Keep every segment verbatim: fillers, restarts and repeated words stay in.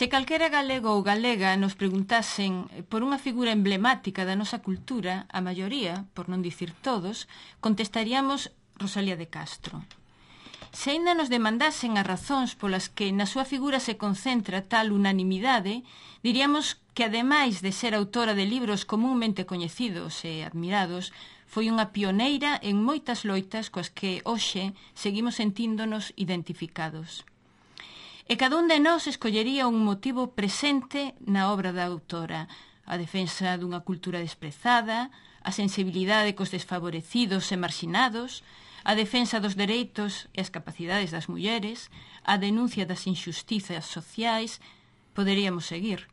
Se calquera galego ou galega nos preguntasen por unha figura emblemática da nosa cultura, a maioría, por non dicir todos, contestaríamos Rosalía de Castro. Se aínda nos demandasen as razóns polas que na súa figura se concentra tal unanimidade, diríamos que, ademais de ser autora de libros comúnmente coñecidos e admirados, foi unha pioneira en moitas loitas coas que hoxe seguimos sentíndonos identificados. E cada un de nós escollería un motivo presente na obra da autora: a defensa dunha cultura desprezada, a sensibilidade cos desfavorecidos e marxinados, a defensa dos dereitos e as capacidades das mulleres, a denuncia das injustizas sociais. Poderíamos seguir.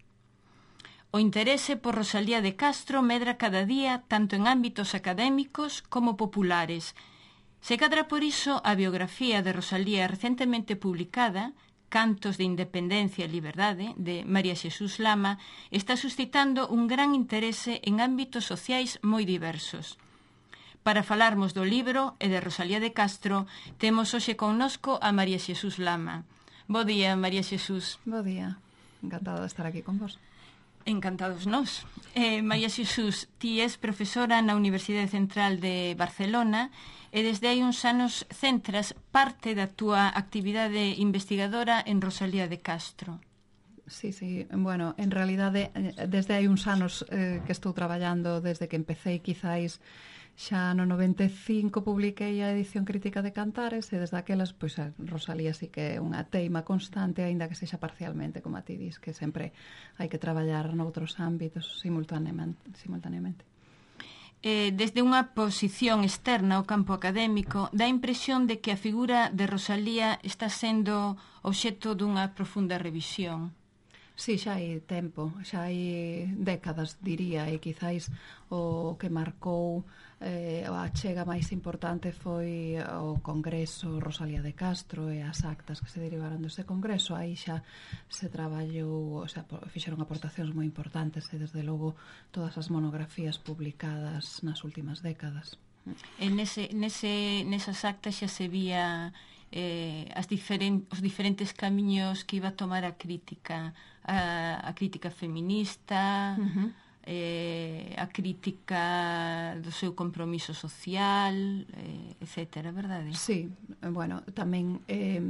O interese por Rosalía de Castro medra cada día tanto en ámbitos académicos como populares. Se cadra por iso a biografía de Rosalía recentemente publicada, Cantos de Independencia e Liberdade, de María Xesús Lama, está suscitando un gran interese en ámbitos sociais moi diversos. Para falarmos do libro e de Rosalía de Castro, temos hoxe connosco a María Xesús Lama. Bo día, María Xesús. Bo día. Encantada de estar aquí con vos. Encantados nós. Eh, María Xesús, ti és profesora na Universidade Central de Barcelona e desde hai uns anos centras parte da túa actividade investigadora en Rosalía de Castro. Sí, sí, bueno, en realidade desde hai uns anos eh, que estou traballando desde que empecé, quizáis xa no noventa e cinco publiquei a edición crítica de Cantares e desde aquelas, pois a Rosalía sí que é unha teima constante, aínda que sexa parcialmente, como a ti dis, que sempre hai que traballar noutros ámbitos simultaneamente. simultaneamente. Eh, desde unha posición externa ao campo académico, dá a impresión de que a figura de Rosalía está sendo obxecto dunha profunda revisión. Sí, xa hai tempo, xa hai décadas, diría, e quizáis o que marcou eh, a chega máis importante foi o Congreso Rosalía de Castro e as actas que se derivaron dese Congreso. Aí xa se traballou, o sea, fixeron aportacións moi importantes e, desde logo, todas as monografías publicadas nas últimas décadas. E nese, nese, nesas actas xa se vía eh, as diferen, os diferentes camiños que iba a tomar a crítica, a, a crítica feminista, uh-huh. eh, a crítica do seu compromiso social, eh, etcétera, verdade? Sí, bueno, tamén eh,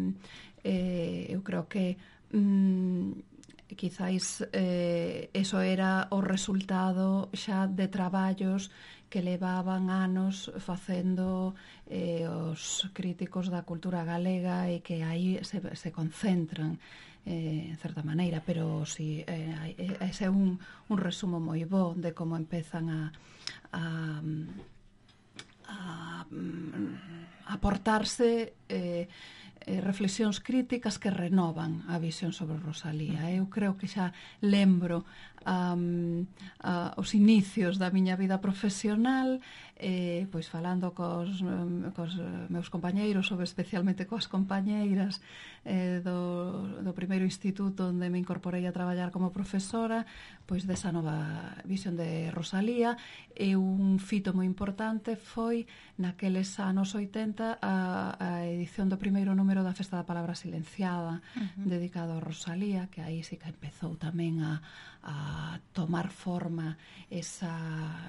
eh, eu creo que mm, quizáis eh, eso era o resultado xa de traballos que levaban anos facendo eh, os críticos da cultura galega e que aí se, se concentran eh, en certa maneira, pero si eh, ese é un, un resumo moi bo de como empezan a, a, a, a aportarse eh, eh, reflexións críticas que renovan a visión sobre Rosalía. Eu creo que xa lembro um, uh, os inicios da miña vida profesional, eh, pois falando cos, um, cos meus compañeiros, ou especialmente coas compañeiras eh, do, do primeiro instituto onde me incorporei a traballar como profesora, pois desa nova visión de Rosalía. E un fito moi importante foi naqueles anos oitenta a, a edición do primeiro número da Festa da Palabra Silenciada, uh-huh. dedicado a Rosalía, que aí sí que empezou tamén a, a tomar forma esa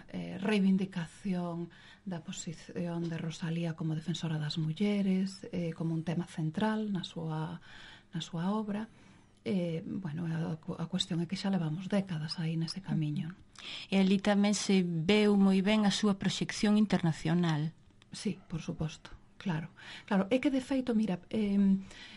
eh, reivindicación da posición de Rosalía como defensora das mulleres, eh, como un tema central na súa, na súa obra. Eh, bueno, a, a cuestión é que xa levamos décadas aí nese camiño. E ali tamén se veu moi ben a súa proxección internacional. Sí, por suposto. Claro, claro, é que de feito, mira, eh,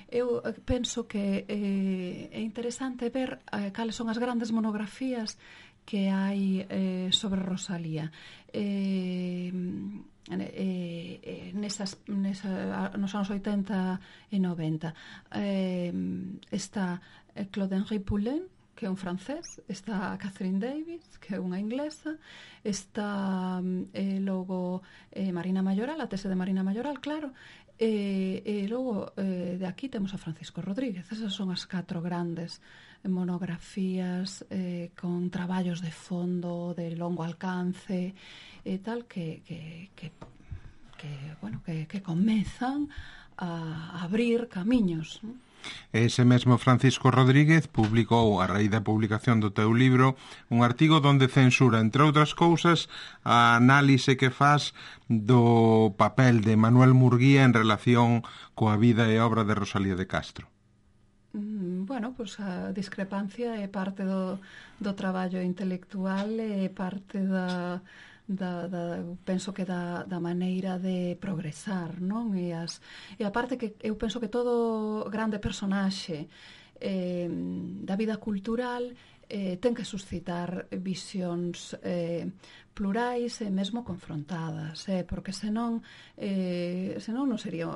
eu penso que eh, é interesante ver eh, cales son as grandes monografías que hai eh, sobre Rosalía. Eh, eh, eh, nesas, nesa, nos anos oitenta e noventa eh, está Claude Henry Poulin, que é un francés, está Catherine Davis, que é unha inglesa, está eh, logo eh, Marina Mayoral, a tese de Marina Mayoral, claro, e eh, eh, logo eh, de aquí temos a Francisco Rodríguez. Esas son as catro grandes monografías eh, con traballos de fondo, de longo alcance e tal, que, que, que, que, bueno, que, que comezan a abrir camiños, ¿no? Ese mesmo Francisco Rodríguez publicou, a raíz da publicación do teu libro, un artigo donde censura, entre outras cousas, a análise que faz do papel de Manuel Murguía en relación coa vida e obra de Rosalía de Castro. Bueno, pois a discrepancia é parte do, do traballo intelectual, é parte da, da, da penso que da, da maneira de progresar, non? E, as, e a parte que eu penso que todo grande personaxe eh, da vida cultural eh, ten que suscitar visións eh, plurais e mesmo confrontadas, eh, porque senón eh, senón non sería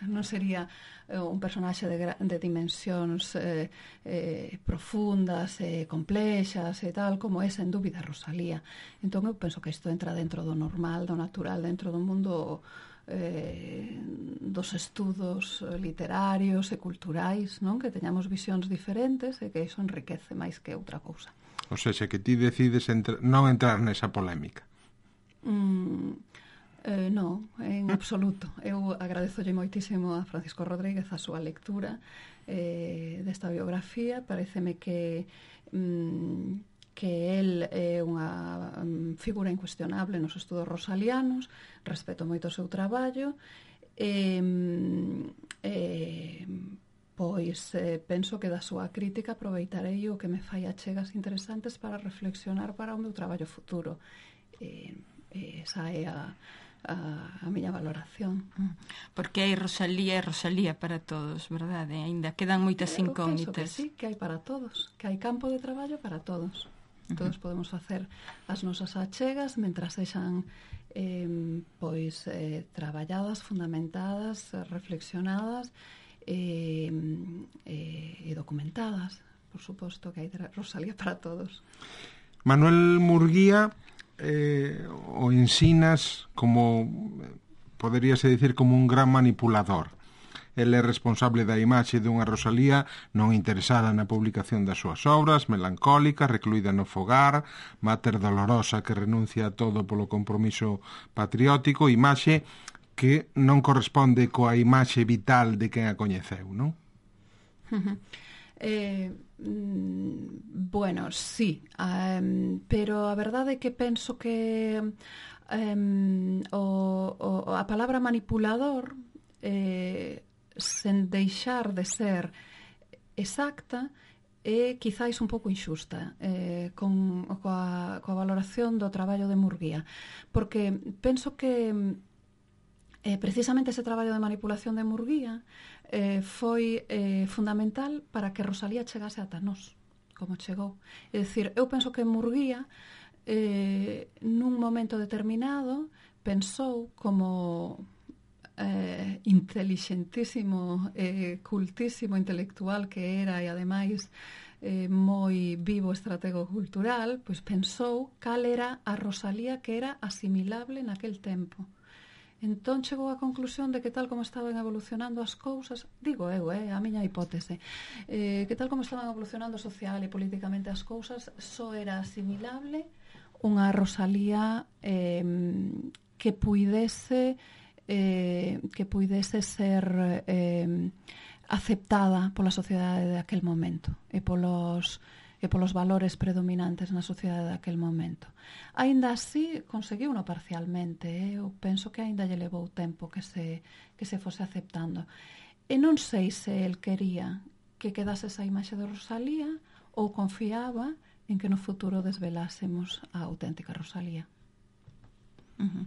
non sería un personaxe de, de dimensións eh, eh, profundas e eh, complexas e tal, como é sen dúbida Rosalía. Entón eu penso que isto entra dentro do normal, do natural, dentro do mundo eh, dos estudos literarios e culturais, non? Que teñamos visións diferentes e que iso enriquece máis que outra cousa. O seja, que ti decides entra... non entrar nesa polémica. Mm, eh, non, en absoluto. Eu agradezolle moitísimo a Francisco Rodríguez a súa lectura eh, desta biografía. Paréceme que mm, que el é unha um, figura incuestionable nos estudos rosalianos, respeto moito o seu traballo, e eh, pois eh, penso que da súa crítica aproveitarei o que me fai achegas interesantes para reflexionar para o meu traballo futuro. Eh, eh, esa é a, a, a miña valoración. Porque hai Rosalía e Rosalía para todos, verdade? Ainda quedan moitas incógnitas. Eu penso que sí, que hai para todos, que hai campo de traballo para todos. Todos podemos facer as nosas achegas mentras sexan eh, pois eh, traballadas, fundamentadas, reflexionadas e, eh, e documentadas. Por suposto que hai Rosalía para todos. Manuel Murguía eh, o ensinas como, poderíase dicir, como un gran manipulador. El é responsable da imaxe dunha Rosalía non interesada na publicación das súas obras, melancólica, recluída no fogar, máter dolorosa que renuncia a todo polo compromiso patriótico, imaxe que non corresponde coa imaxe vital de quen a coñeceu, non? eh, mm, bueno, sí, um, pero a verdade é que penso que um, o, o, a palabra manipulador eh, sen deixar de ser exacta é quizáis un pouco inxusta eh, con, coa, coa valoración do traballo de Murguía, porque penso que eh, precisamente ese traballo de manipulación de Murguía eh, foi eh, fundamental para que Rosalía chegase ata nós, como chegou. É dicir, eu penso que Murguía eh, nun momento determinado pensou como Eh, inteligentísimo, eh, cultísimo intelectual que era e ademais eh, moi vivo estratego cultural, pois pensou cal era a Rosalía que era asimilable naquel tempo. Entón chegou á conclusión de que tal como estaban evolucionando as cousas, digo eu, eh, a miña hipótese, eh, que tal como estaban evolucionando social e políticamente as cousas, só era asimilable unha Rosalía eh, que puidese Eh, que puidese ser eh, aceptada pola sociedade de aquel momento e polos, e polos valores predominantes na sociedade de aquel momento. Aínda así, conseguiuno parcialmente. Eh? Eu penso que aínda lle levou tempo que se, que se fose aceptando. E non sei se el quería que quedase esa imaxe de Rosalía ou confiaba en que no futuro desvelásemos a auténtica Rosalía. Uh-huh.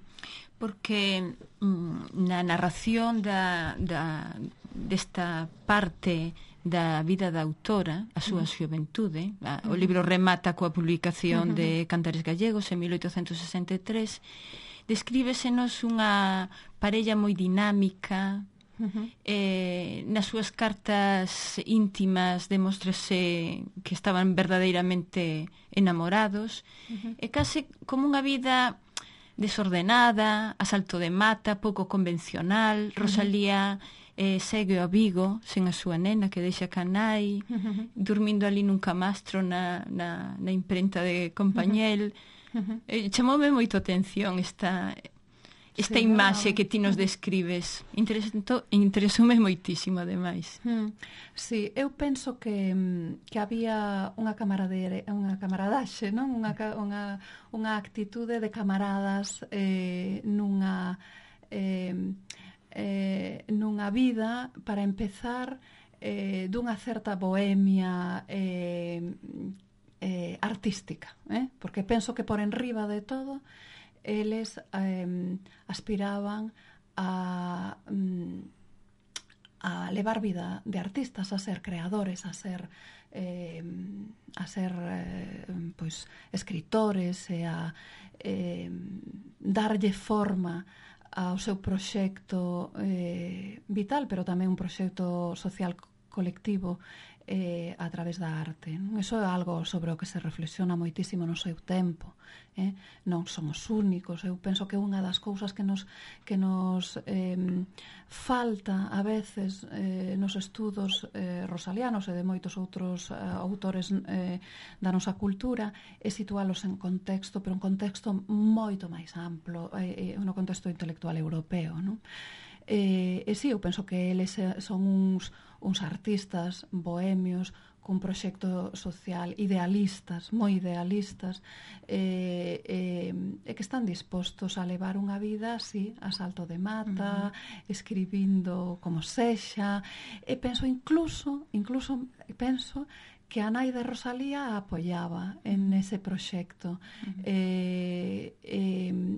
Porque mm, na narración da, da, desta parte da vida da autora, a súa uh-huh. xuventude, a, uh-huh. o libro remata coa publicación uh-huh. de Cantares Gallegos en mil oitocentos sesenta e tres, descríbesenos unha parella moi dinámica. Uh-huh. Eh, nas súas cartas íntimas demóstrase que estaban verdadeiramente enamorados, uh-huh. e case como unha vida desordenada, a salto de mata, pouco convencional. Rosalía eh, segue a Vigo sen a súa nena que deixa canai, uh-huh. dormindo ali nun camastro na, na, na imprenta de Compañel. Uh-huh. Eh, chamoume moito atención esta, esta sí, imaxe no. que ti nos describes. Interesoume moitísimo, ademais. Mm. Sí, eu penso que, que había unha camarade, unha camaradaxe, non? Unha, unha, unha actitude de camaradas eh, nunha eh, eh, nunha vida, para empezar, eh, dunha certa bohemia eh, eh, artística, eh? Porque penso que por enriba de todo eles eh, aspiraban a, a levar vida de artistas, a ser creadores, a ser eh, a ser eh, pois escritores e a eh, darlle forma ao seu proxecto eh, vital, pero tamén un proxecto social colectivo eh, a través da arte. Non? Iso é algo sobre o que se reflexiona moitísimo no seu tempo. Eh? Non somos únicos. Eu penso que unha das cousas que nos, que nos eh, falta a veces eh, nos estudos eh, rosalianos e de moitos outros eh, autores eh, da nosa cultura é situálos en contexto, pero un contexto moito máis amplo, eh, no contexto intelectual europeo. Non? E, e si, eu penso que eles son uns uns artistas bohemios cun proxecto social idealistas, moi idealistas, e, e, e que están dispostos a levar unha vida así, a salto de mata, uh-huh. escribindo como sexa, e penso incluso, incluso penso que a nai de Rosalía a apoiaba en ese proxecto, uh-huh. e, e,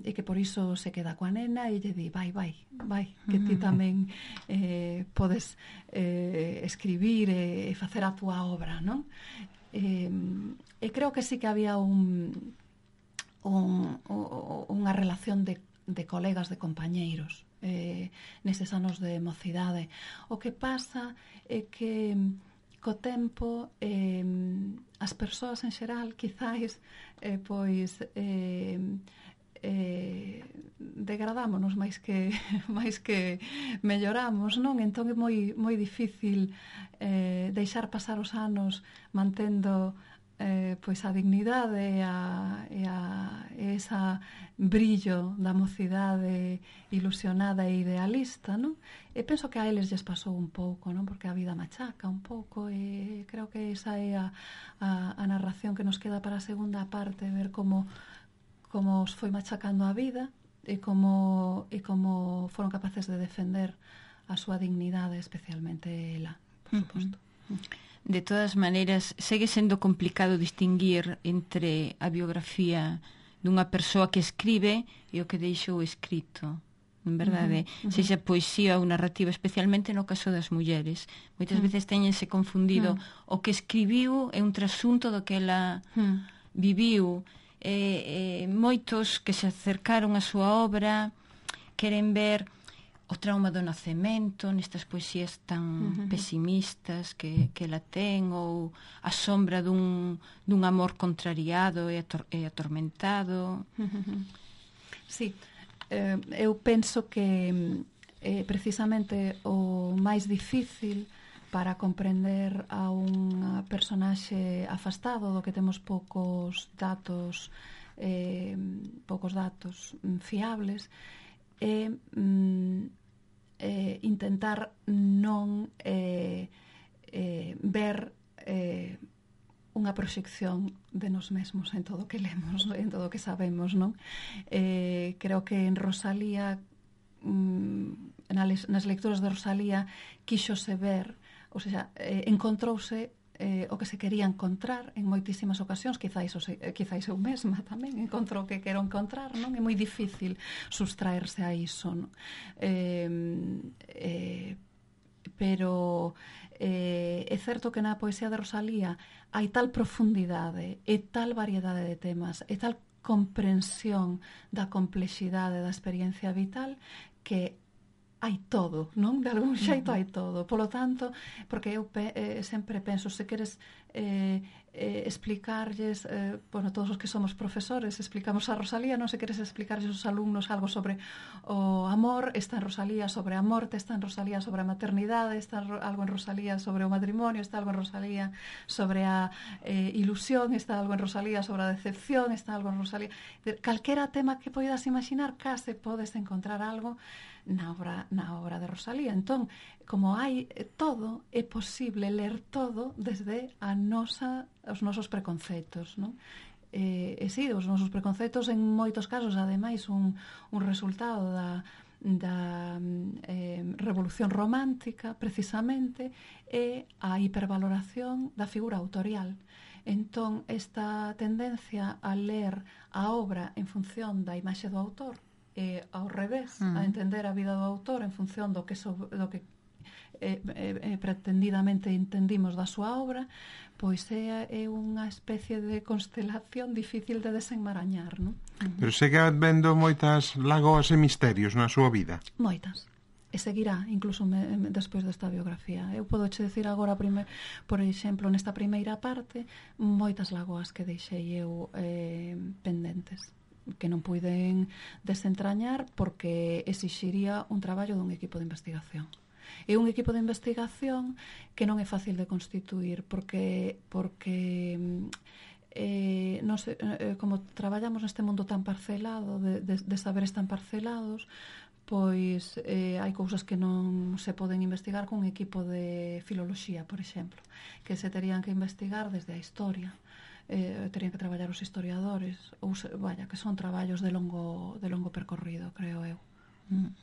e que por iso se queda coa nena e lle di, vai, vai, vai, que ti tamén eh, podes eh, escribir e, e facer a túa obra, non? E, e creo que sí que había un, un, unha relación de, de colegas, de compañeiros, eh, neses anos de mocidade. O que pasa é que co tempo eh, as persoas en xeral quizáis eh, pois eh, eh, degradámonos máis que máis que melloramos, non? Entón é moi moi difícil eh, deixar pasar os anos mantendo eh, pois a dignidade e a, e a e esa brillo da mocidade ilusionada e idealista, non? E penso que a eles lles pasou un pouco, non? Porque a vida machaca un pouco, e creo que esa é a, a, a narración que nos queda para a segunda parte, ver como como os foi machacando a vida e como e como foron capaces de defender a súa dignidade, especialmente ela, por suposto. Uh-huh. De todas maneiras, segue sendo complicado distinguir entre a biografía dunha persoa que escribe e o que deixou escrito, en verdade, uh-huh, uh-huh. sexa poesía ou narrativa, especialmente no caso das mulleres. Moitas uh-huh. veces teñense confundido uh-huh. o que escribiu é un trasunto do que ela uh-huh. viviu. E, e moitos que se acercaron a súa obra queren ver o trauma do nacemento nestas poesías tan uh-huh. pesimistas que, que la ten, ou a sombra dun, dun amor contrariado e, ator, e atormentado. Uh-huh. Sí, eh, eu penso que eh, precisamente o máis difícil para comprender a un personaxe afastado do que temos poucos datos eh, poucos datos fiables é mm, eh, intentar non eh, eh, ver eh, unha proxección de nos mesmos en todo o que lemos, en todo o que sabemos, non? Eh, creo que en Rosalía, mm, nas lecturas de Rosalía, quíxose ver, ou seja, eh, encontrouse eh, o que se quería encontrar en moitísimas ocasións, quizáis, eh, quizáis eu mesma tamén encontrou o que quero encontrar, non? É moi difícil sustraerse a iso, non? Eh, eh, pero eh, é certo que na poesía de Rosalía hai tal profundidade e tal variedade de temas e tal comprensión da complexidade da experiencia vital que hai todo, non? De algún xeito hai todo. Polo tanto, porque eu pe, eh, sempre penso, se queres eh, eh, explicarlles, eh, bueno, todos os que somos profesores explicamos a Rosalía, non se queres explicarlles aos alumnos algo sobre o amor, está en Rosalía sobre a morte, está en Rosalía sobre a maternidade, está algo en Rosalía sobre o matrimonio, está algo en Rosalía sobre a eh, ilusión, está algo en Rosalía sobre a decepción, está algo en Rosalía, calquera tema que poidas imaginar, case podes encontrar algo na obra, na obra de Rosalía. Entón, como hai todo, é posible ler todo desde a nosa, os nosos preconceptos, non? E, e sí, os nosos preconceptos en moitos casos, ademais, un, un resultado da, da eh, revolución romántica, precisamente, é a hipervaloración da figura autorial. Entón, esta tendencia a ler a obra en función da imaxe do autor, e ao revés, uh-huh. a entender a vida do autor en función do que, so, do que eh, eh, pretendidamente entendimos da súa obra, pois é, é unha especie de constelación difícil de desenmarañar, non? Uh-huh. Pero segue vendo moitas lagoas e misterios na súa vida? Moitas. E seguirá, incluso me, me, despois desta biografía. Eu podo che decir agora, prime, por exemplo, nesta primeira parte, moitas lagoas que deixei eu eh, pendentes, que non puiden desentrañar porque exixiría un traballo dun equipo de investigación. É un equipo de investigación que non é fácil de constituir porque porque eh, non sei, eh, como traballamos neste mundo tan parcelado, de, de, de saberes tan parcelados, pois eh, hai cousas que non se poden investigar con un equipo de filoloxía, por exemplo, que se terían que investigar desde a historia. Eh, terían que traballar os historiadores, ou se, vaya, que son traballos de longo, de longo percorrido, creo eu. Mm.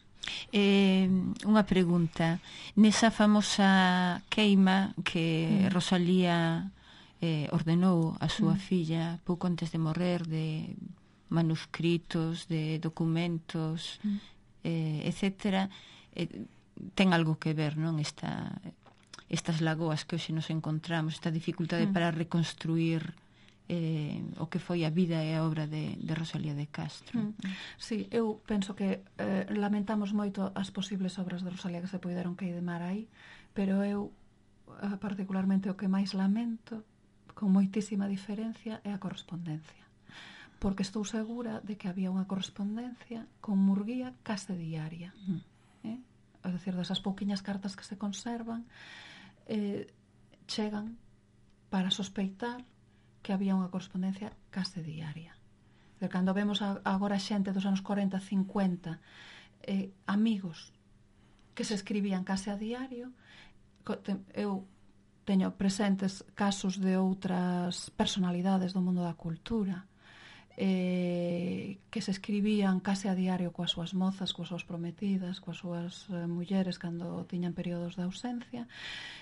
Eh, unha pregunta, nesa famosa queima que mm. Rosalía eh, ordenou a súa mm. filla pouco antes de morrer, de manuscritos, de documentos, mm. eh, etcétera, eh, ten algo que ver, non, esta, estas lagoas que hoxe nos encontramos, esta dificultade mm. para reconstruir eh, o que foi a vida e a obra de, de Rosalía de Castro. Mm. Sí, eu penso que eh, lamentamos moito as posibles obras de Rosalía que se poideron queimar aí, pero eu eh, particularmente o que máis lamento, con moitísima diferencia, é a correspondencia, porque estou segura de que había unha correspondencia con Murguía case diaria, mm. eh? É dicir, desas pouquiñas cartas que se conservan eh, chegan para sospeitar que había unha correspondencia case diaria. De cando vemos a, agora xente dos anos corenta, cincuenta, eh, amigos que se escribían case a diario, eu teño presentes casos de outras personalidades do mundo da cultura eh, que se escribían case a diario coas súas mozas, coas súas prometidas, coas súas eh, mulleres cando tiñan períodos de ausencia.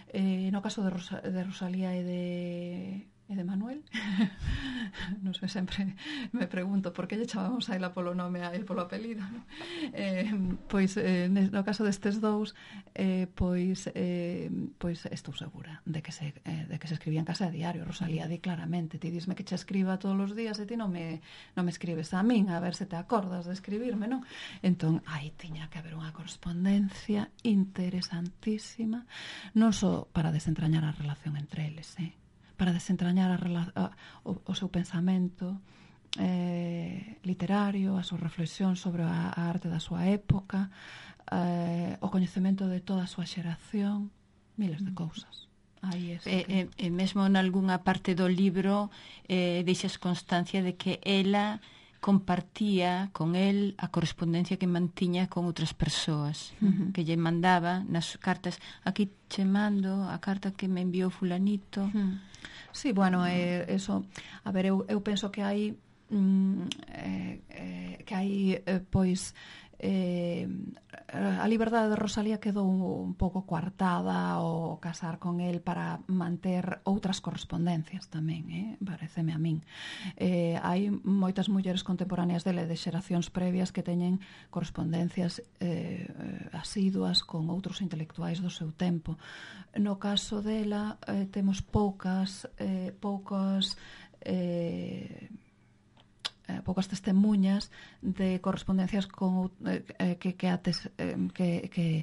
Eh, no caso de, Rosa, de Rosalía e de e de Manuel, non sei, sempre me pregunto por que lle chamamos a ela polo nome a el polo apelido, non? Eh, pois eh, no caso destes dous, eh, pois eh, pois estou segura de que se eh, de que se escribían case a diario. Rosalía di claramente, ti disme que che escriba todos os días e ti non me non me escribes a min, a ver se te acordas de escribirme, non? Entón, aí tiña que haber unha correspondencia interesantísima, non só para desentrañar a relación entre eles, eh? para desentrañar a, a, o, o seu pensamento eh, literario, a súa reflexión sobre a, a arte da súa época, eh, o coñecemento de toda a súa xeración, miles de cousas. Aí é e, que... e, e mesmo nalgúna parte do libro eh, deixas constancia de que ela compartía con el a correspondencia que mantiña con outras persoas, uh-huh. que lle mandaba nas cartas, aquí che mando a carta que me enviou fulanito. Uh-huh. Sí, bueno, eh, eso, a ver, eu, eu penso que hai mm, eh, eh, que hai eh, pois eh, a liberdade de Rosalía quedou un pouco coartada ao casar con el para manter outras correspondencias tamén, eh? Pareceme a min. Eh, hai moitas mulleres contemporáneas dele de xeracións previas que teñen correspondencias eh, asiduas con outros intelectuais do seu tempo. No caso dela eh, temos poucas eh, poucas eh, poucas testemunhas de correspondencias con, eh, que, que, ates, eh, que, que,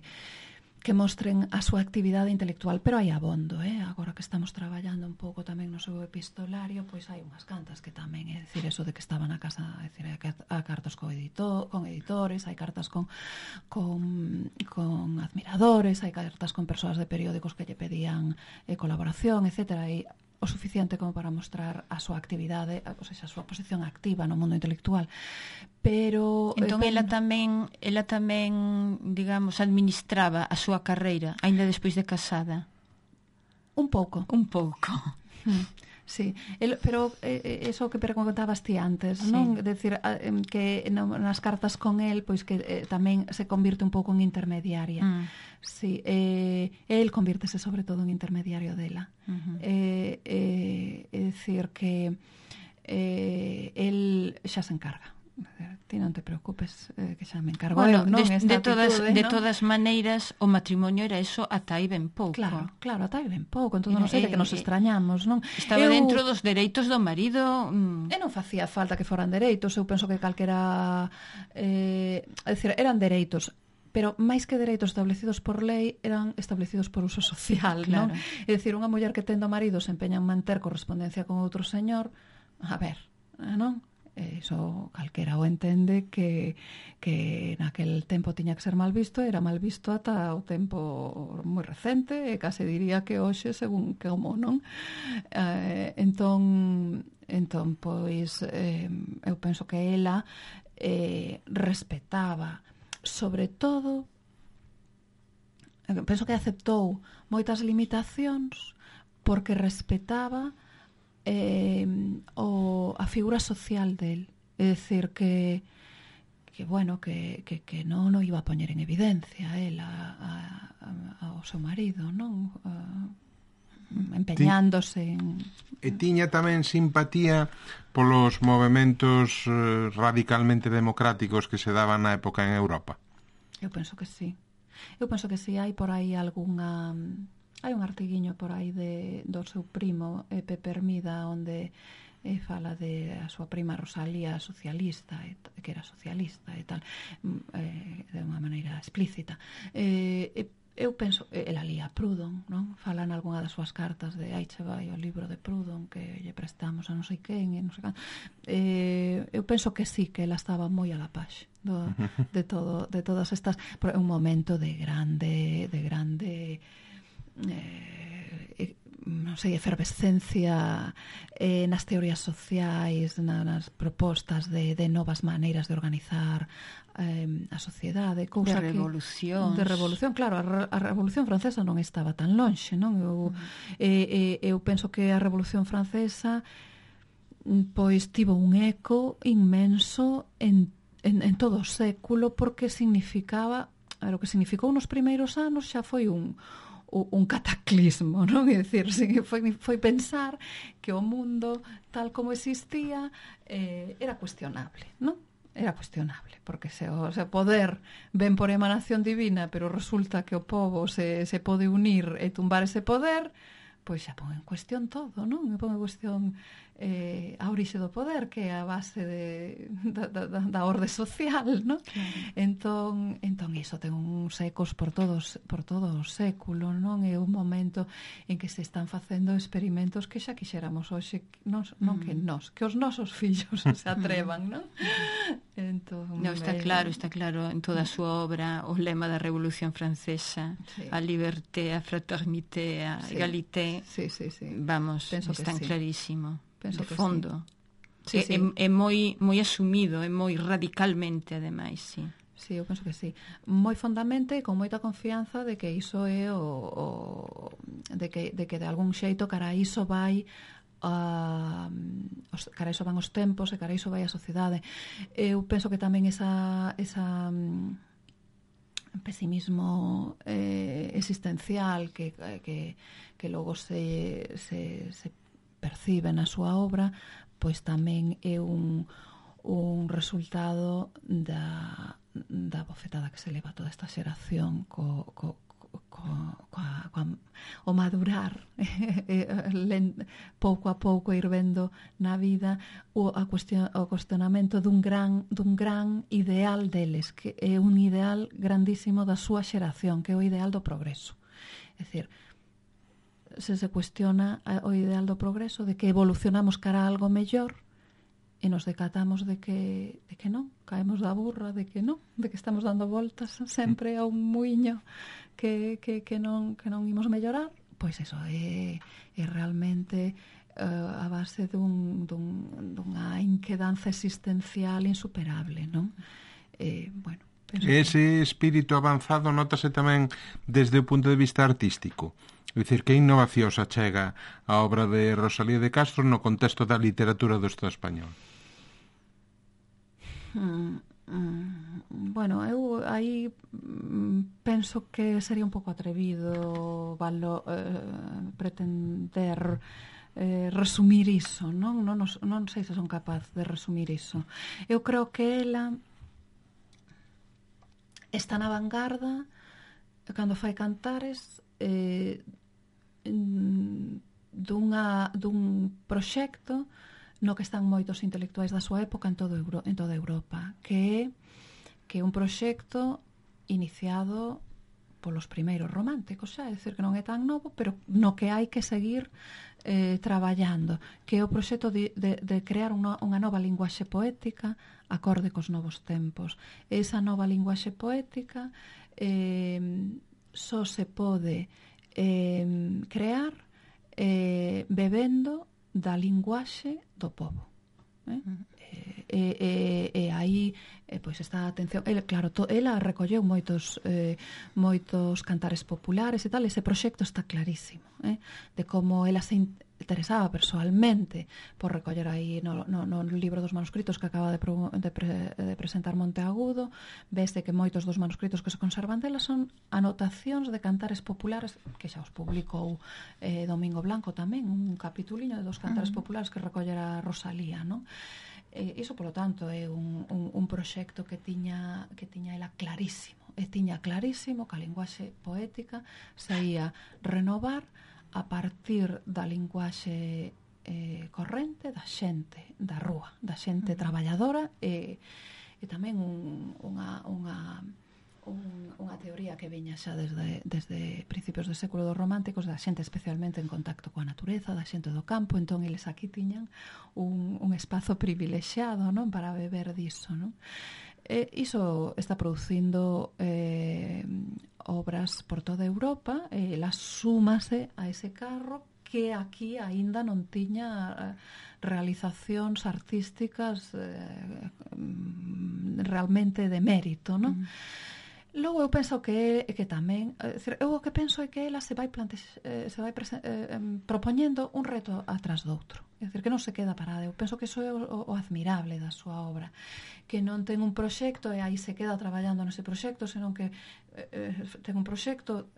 que mostren a súa actividade intelectual, pero hai abondo, eh? Agora que estamos traballando un pouco tamén no seu epistolario, pois hai unhas cantas que tamén, é dicir, eso de que estaban a casa, é dicir, a cartas con, editor, con editores, hai cartas con, con, con admiradores, hai cartas con persoas de periódicos que lle pedían eh, colaboración, etcétera, e o suficiente como para mostrar a súa actividade, ou seja, a súa posición activa no mundo intelectual. Pero entón eh, ela tamén, ela tamén, digamos, administraba a súa carreira aínda despois de casada. Un pouco. Un pouco. Sí, el, pero eh, eso que preguntabas ti antes, sí. Non? Decir, eh, que no, nas cartas con el, pois que eh, tamén se convirte un pouco en intermediaria. Mm. Sí, eh, el convírtese sobre todo en intermediario dela. Uh-huh. Eh, eh, é dicir que eh, el xa se encarga. Ti non te preocupes, eh, que xa me encargo bueno, eu, non? De, de, todas, actitude, de non? todas maneiras, o matrimonio era eso ata aí ben pouco. Claro, claro, ata aí ben pouco. Entón non sei de que nos extrañamos, non? Estaba eu, dentro dos dereitos do marido. Mm. E non facía falta que foran dereitos. Eu penso que calquera... Eh, é dicir, eran dereitos, pero máis que dereitos establecidos por lei, eran establecidos por uso social, claro. Non? É dicir, unha muller que tendo marido se empeña en manter correspondencia con outro señor, a ver, non? Eso calquera o entende que, que naquel tempo tiña que ser mal visto, era mal visto ata o tempo moi recente, e case diría que hoxe según como, non? Eh, entón, entón, pois, eh, eu penso que ela eh, respetaba, sobre todo, penso que aceptou moitas limitacións porque respetaba Eh, o, a figura social del, é dicir que que bueno, que, que, que non o iba a poñer en evidencia el a, a, a, ao seu marido, non? A, empeñándose en... E tiña tamén simpatía polos movementos eh, radicalmente democráticos que se daban na época en Europa. Eu penso que sí. Eu penso que sí, hai por aí algunha... Hai un artiguiño por aí de, do seu primo, eh, Pepe Hermida, onde eh, fala de a súa prima Rosalía socialista, e, que era socialista e tal, eh, de unha maneira explícita. Eh, eu penso, ela lía Proudhon, non? Fala en algunha das súas cartas de aí che vai o libro de Proudhon que lle prestamos a non sei quen e non sei can. Eh, eu penso que sí, que ela estaba moi a la paz do, de todo, de todas estas, por un momento de grande, de grande Eh, non sei, efervescencia eh, nas teorías sociais, na, nas propostas de, de novas maneiras de organizar eh, a sociedade, cousa de revolución. De revolución, claro, a, a Revolución Francesa non estaba tan lonxe, non? Eu, uh-huh. eh, eh, eu penso que a Revolución Francesa pois tivo un eco inmenso en, en, en todo o século, porque significaba, a ver, o que significou nos primeiros anos xa foi un un cataclismo, non? É dicir, foi, foi pensar que o mundo tal como existía eh, era cuestionable, non? Era cuestionable, porque se o, se o poder ven por emanación divina, pero resulta que o povo se, se pode unir e tumbar ese poder, pois xa pon en cuestión todo, non? Pon en cuestión eh, a orixe do poder, que é a base de, da, da, da orde social, non? Claro. Entón, entón iso ten uns ecos por todos, por todo o século, non? É un momento en que se están facendo experimentos que xa quixéramos hoxe, non, non mm. que nós, que os nosos fillos se atrevan, non? Entón, no, está eh, claro, está claro en toda a súa obra o lema da Revolución Francesa, sí. A liberté, a fraternité, a sí. Egalité. Sí, sí, sí. Vamos, penso están sí. clarísimo. Penso de que fondo. Sí. Sí, é, sí. é, é moi moi asumido, é moi radicalmente ademais, sí. Sí, eu penso que sí. Moi fondamente, con moita confianza de que iso é o, o de que de que de algún xeito cara a iso vai a os, cara a iso van os tempos e cara a iso vai a sociedade. Eu penso que tamén esa esa pesimismo eh, existencial que, que, que logo se, se, se percibe na súa obra, pois tamén é un, un resultado da, da bofetada que se leva toda esta xeración co, co, co, coa, coa, o madurar pouco a pouco ir vendo na vida o, a cuestión, o cuestionamento dun gran, dun gran ideal deles, que é un ideal grandísimo da súa xeración, que é o ideal do progreso. É dicir, se se cuestiona o ideal do progreso, de que evolucionamos cara a algo mellor, e nos decatamos de que, de que non, caemos da burra, de que non, de que estamos dando voltas sempre a un muiño que, que, que, non, que non imos mellorar, pois eso é, é realmente uh, a base dun, dun, dunha inquedanza existencial insuperable, non? Eh, bueno, ese espírito avanzado nótase tamén desde o punto de vista artístico. É dicir, que innovación se achega a obra de Rosalía de Castro no contexto da literatura do Estado español? Mm, mm, bueno, eu aí mm, penso que sería un pouco atrevido valo, eh, pretender eh, resumir iso, non? Non, non sei se son capaz de resumir iso. Eu creo que ela está na vanguarda cando fai cantares eh, dunha, dun proxecto no que están moitos intelectuais da súa época en, todo Euro, en toda Europa, que é que é un proxecto iniciado polos primeiros románticos, xa, é dicir, que non é tan novo, pero no que hai que seguir eh, traballando, que é o proxecto de, de, de crear unha, unha nova linguaxe poética acorde cos novos tempos. Esa nova linguaxe poética eh, só se pode eh, crear eh, bebendo da linguaxe do povo. Eh? E, e, e aí eh, pois está a atención, ela, claro, to, ela recolleu moitos eh, moitos cantares populares e tal, ese proxecto está clarísimo, eh? De como ela se interesaba persoalmente por recoller aí no, no, no libro dos manuscritos que acaba de, pro, de, pre, de presentar Monteagudo, veste que moitos dos manuscritos que se conservan dela son anotacións de cantares populares que xa os publicou eh, Domingo Blanco tamén, un capituliño de dos cantares uh-huh. populares que recollera Rosalía, non? Eh, iso, polo tanto, é un, un, un proxecto que tiña, que tiña ela clarísimo, e tiña clarísimo que a linguaxe poética se ia renovar a partir da linguaxe eh, corrente da xente da rúa, da xente uh-huh. traballadora e, e tamén un, unha, unha, un, unha teoría que viña xa desde, desde principios do século dos románticos, da xente especialmente en contacto coa natureza, da xente do campo, entón eles aquí tiñan un, un espazo privilexiado, non, para beber diso, non? E iso está producindo eh, obras por toda Europa, e ela súmase a ese carro que aquí aínda non tiña realizacións artísticas eh, realmente de mérito, non? Mm. Logo eu penso que que tamén, é dicir, eu o que penso é que ela se vai plante, eh, se vai prese, eh, propoñendo un reto atrás do outro. É dicir, que non se queda parada. Eu penso que iso é o, o admirable da súa obra, que non ten un proxecto e aí se queda traballando nese proxecto, senón que eh, ten un proxecto,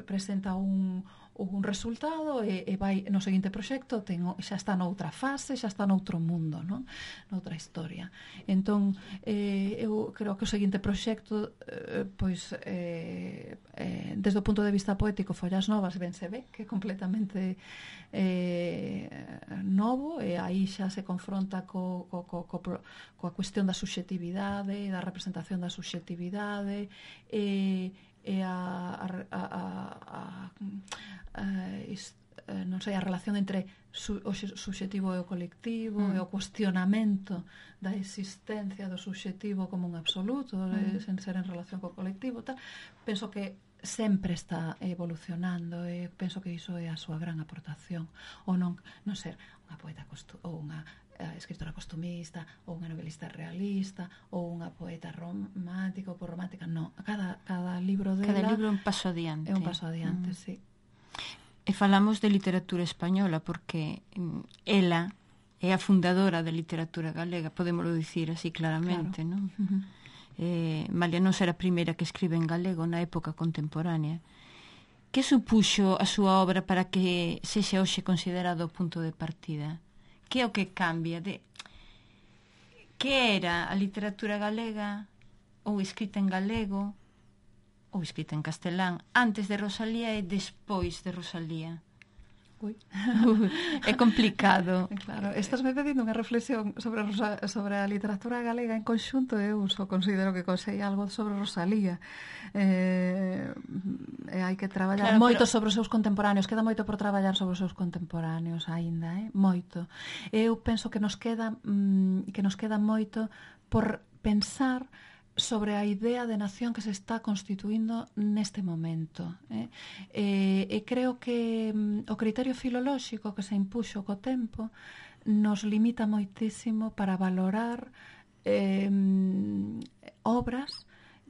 presenta un un resultado e, e vai no seguinte proxecto, ten, xa está noutra fase, xa está noutro mundo, non? Noutra historia. Entón, eh, eu creo que o seguinte proxecto eh, pois eh, eh, desde o punto de vista poético, Follas Novas, ben se ve que é completamente eh, novo, e aí xa se confronta co, co, co, co, coa cuestión da subxetividade, da representación da subxetividade, e e a, a, a, a, a, a non sei, a relación entre su, o subxetivo e o colectivo, mm. e o cuestionamento da existencia do subxetivo como un absoluto, mm. sen ser en relación co colectivo, tal. Penso que sempre está evolucionando, e penso que iso é a súa gran aportación, ou non, non ser unha poeta ou unha escritora costumista, ou unha novelista realista, ou unha poeta romántica ou por romántica, non. Cada, cada libro dela... Cada libro é un paso adiante. É un paso adiante, mm. sí. E falamos de literatura española, porque ela é a fundadora da literatura galega, podémoslo dicir así claramente, claro. Non? Uh-huh. Eh, Malia non será a primeira que escribe en galego na época contemporánea. Que supuxo a súa obra para que sexa hoxe considerado o punto de partida? Que é o que cambia? De... Que era a literatura galega ou escrita en galego ou escrita en castelán, antes de Rosalía e despois de Rosalía? Ui. É complicado. Claro, estás me pedindo unha reflexión sobre, Rosa, sobre a literatura galega en conxunto. Eu só considero que consei algo sobre Rosalía. Eh, e hai que traballar claro, moito pero... sobre os seus contemporáneos. Queda moito por traballar sobre os seus contemporáneos aínda, eh? Moito. Eu penso que nos queda mmm, que nos queda moito por pensar sobre a idea de nación que se está constituindo neste momento. Eh? E, e creo que mm, o criterio filolóxico que se impuxo co tempo nos limita moitísimo para valorar eh, obras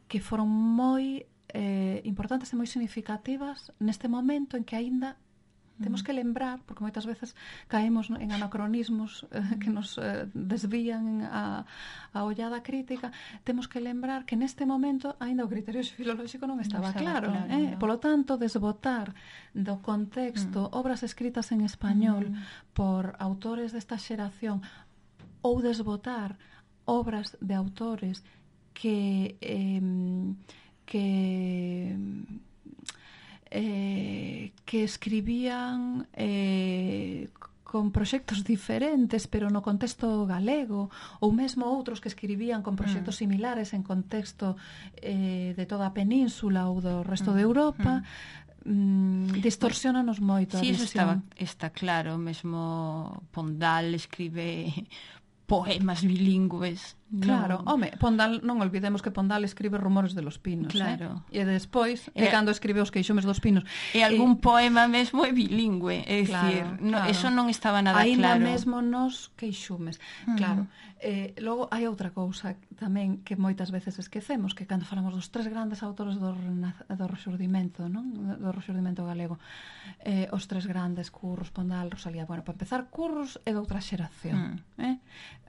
que foron moi eh, importantes e moi significativas neste momento en que aínda temos que lembrar, porque moitas veces caemos en anacronismos eh, que nos eh, desvían a, a ollada crítica. Temos que lembrar que neste momento aínda o criterio filolóxico non estaba, non estaba claro, claro eh? no. Polo tanto, desbotar do contexto mm. obras escritas en español mm. por autores desta xeración ou desbotar obras de autores que eh, que Eh, que escribían eh, con proxectos diferentes pero no contexto galego, ou mesmo outros que escribían con proxectos mm. similares en contexto eh, de toda a península ou do resto mm. de Europa, mm. distorsionanos moito sí, a visión. Sí, eso estaba, está claro. Mesmo Pondal escribe poemas bilingües. Claro, no. Home, Pondal, non olvidemos que Pondal escribe Rumores de los Pinos, claro. eh? E despois, e, é cando escribe Os Queixumes dos Pinos. E algún e, poema mesmo é bilingüe, é dicir, claro, no, claro. Eso non estaba nada Ainda claro. Ainda mesmo nos Queixumes, uh-huh. claro. Eh, logo, hai outra cousa tamén que moitas veces esquecemos, que cando falamos dos tres grandes autores do, do Rexurdimento, non? Do Rexurdimento galego, eh, os tres grandes, Curros, Pondal, Rosalía. Bueno, para empezar, Curros é doutra xeración. Uh-huh. Eh?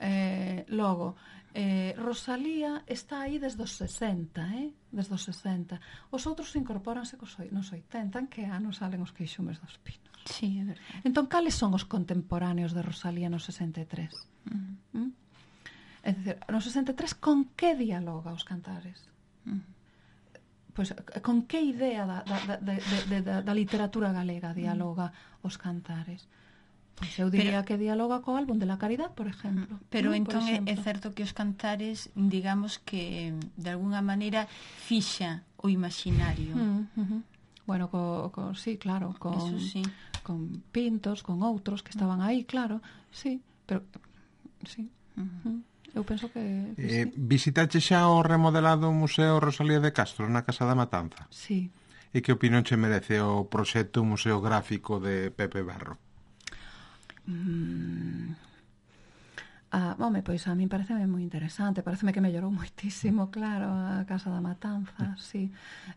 Eh, logo, Eh, Rosalía está aí desde os sesenta, eh? Desde os sesenta. Os outros incorporanse cos, nos oitenta, en que anos salen Os Queixumes dos Pinos. Sí, é verdade. Entón, cales son os contemporáneos de Rosalía no sesenta e tres? Uh-huh. ¿Mm? É dicir, no sesenta e tres, con que dialoga os Cantares? Uh-huh. Pois, con que idea da, da, da, da, da, da literatura galega dialoga uh-huh. os Cantares? Pois eu diría pero, que dialoga co álbum de la Caridad, por exemplo. Pero ¿no? entón é certo que os Cantares, digamos que de alguna maneira fixa o imaginario. Uh, uh-huh. Bueno, co, co, sí, claro, con, sí. con Pintos, con outros que estaban aí, claro, sí, pero sí. Uh-huh. Eu penso que, que eh, sí. Visitache xa o remodelado Museo Rosalía de Castro na Casa da Matanza? Sí. E que opinión che merece o proxecto museográfico de Pepe Berro? Mm. Ah, home, pois a mí pareceme moi interesante, pareceme que mellorou moitísimo, claro, a Casa da Matanza, sí.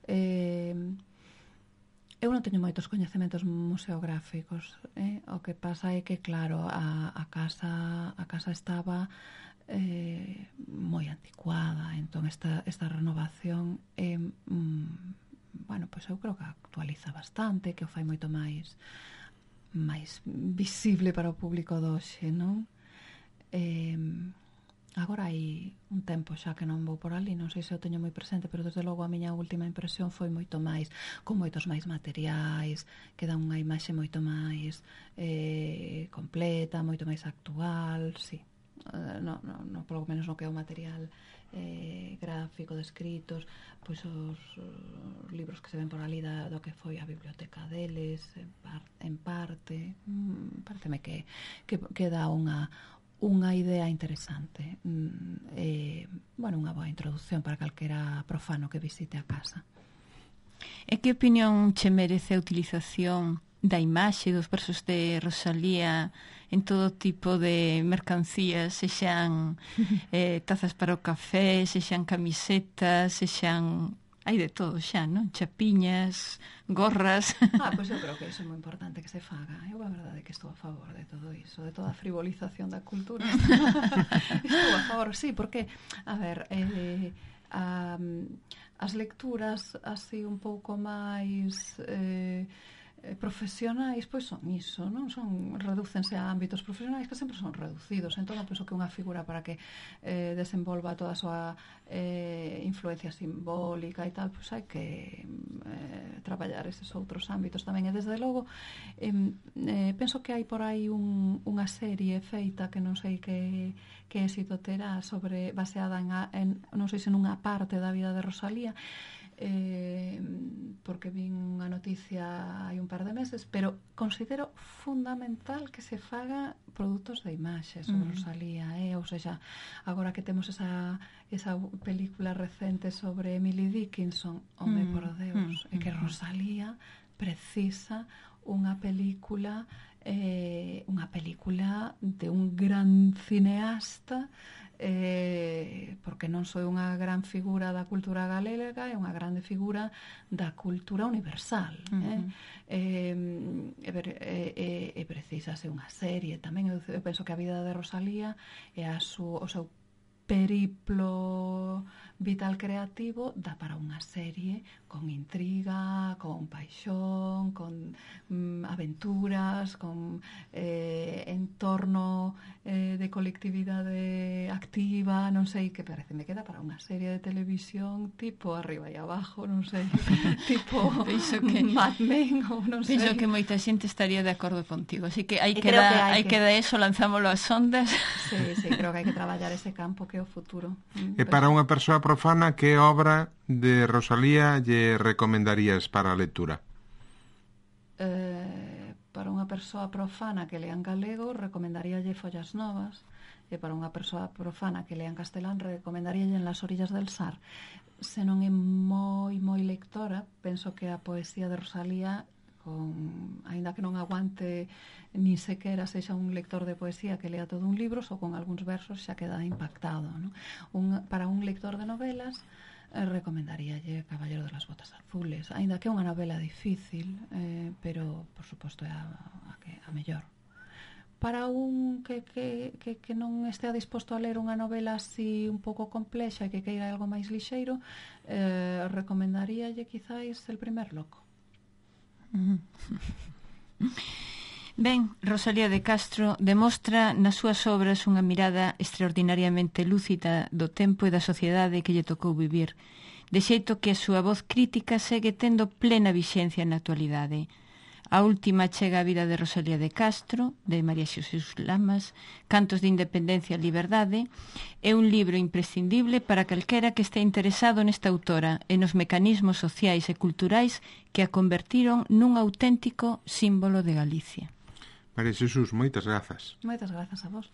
Eh, eu non teño moitos coñecementos museográficos, eh? O que pasa é que, claro, a, a casa a casa estaba eh, moi anticuada, entón esta, esta renovación eh, mm, bueno, pois eu creo que actualiza bastante, que o fai moito máis máis visible para o público doxe, non? Eh, agora hai un tempo xa que non vou por ali, non sei se o teño moi presente, pero desde logo a miña última impresión foi moito máis, con moitos máis materiais, que dan unha imaxe moito máis eh, completa, moito máis actual, sí. Uh, no, no, no, polo menos no que é o material eh, gráfico, de escritos, pois os, os libros que se ven por ali da, do que foi a biblioteca deles en, par, en parte mm, pareceme que, que, que dá unha unha idea interesante mm, eh, bueno, unha boa introducción para calquera profano que visite a casa. E que opinión che merece a utilización da imaxe dos versos de Rosalía en todo tipo de mercancías, sexan eh, tazas para o café, sexan camisetas, sexan... hai de todo xa, non? Chapiñas, gorras... Ah, pois eu creo que iso é moi importante que se faga. Eu a verdade é que estou a favor de todo iso, de toda a frivolización da cultura. Estou a favor, sí, porque, a ver, eh, a, as lecturas así un pouco máis... Eh, profesionais pois son iso, non son, redúcense a ámbitos profesionais que sempre son reducidos, entón eu penso que unha figura para que eh, desenvolva toda a súa eh, influencia simbólica e tal, pois hai que eh, traballar eses outros ámbitos tamén, e desde logo eh, eh, penso que hai por aí un, unha serie feita que non sei que, que éxito terá sobre, baseada en, a, en non sei se nunha parte da vida de Rosalía, eh, porque vin unha noticia hai un par de meses, pero considero fundamental que se faga produtos de imaxe sobre mm. Rosalía, eh? Ou seja, agora que temos esa, esa película recente sobre Emily Dickinson, home, mm. por Deus, mm. é que Rosalía precisa unha película eh, unha película de un gran cineasta, eh, porque non soy unha gran figura da cultura galega, é unha grande figura da cultura universal. Uh-huh. eh? Eh, e, e, e precisa ser unha serie tamén. Eu, eu penso que a vida de Rosalía e a su, o seu periplo vital creativo dá para unha serie con intriga, con paixón, con mm, aventuras, con eh, entorno eh, de colectividade activa, non sei, que parece me queda para unha serie de televisión tipo Arriba e Abajo, non sei, tipo que, Mad Men, ou non sei. Penso que moita xente estaría de acordo contigo, así que hai que, da, hai que... que da eso, lanzámoslo ás ondas. Sí, sí, creo que hai que traballar ese campo que é o futuro. E para unha persoa profana, que obra de Rosalía lle recomendarías para a lectura? Eh, para unha persoa profana que lea en galego, recomendaríalle Follas Novas, e para unha persoa profana que lea en castelán, recomendaríalle En las orillas del Sar. Se non é moi, moi lectora, penso que a poesía de Rosalía, con, aínda que non aguante ni sequera sexa un lector de poesía que lea todo un libro, só con algúns versos xa queda impactado, ¿no? Un, para un lector de novelas eh, recomendaríalle Caballero de las Botas Azules, aínda que é unha novela difícil, eh, pero por suposto é a, a, a mellor. Para un que, que, que, que non estea disposto a ler unha novela así un pouco complexa e que queira algo máis lixeiro, eh, recomendaríalle quizáis El primer loco. Ben, Rosalía de Castro demostra nas súas obras unha mirada extraordinariamente lúcida do tempo e da sociedade que lle tocou vivir, de xeito que a súa voz crítica segue tendo plena vixencia na actualidade. A última chega a vida de Rosalía de Castro, de María Xesús Lamas, Cantos de Independencia e Liberdade, é un libro imprescindible para calquera que este interesado nesta autora e nos mecanismos sociais e culturais que a convertiron nun auténtico símbolo de Galicia. María Xesús, moitas grazas. Moitas grazas a vos.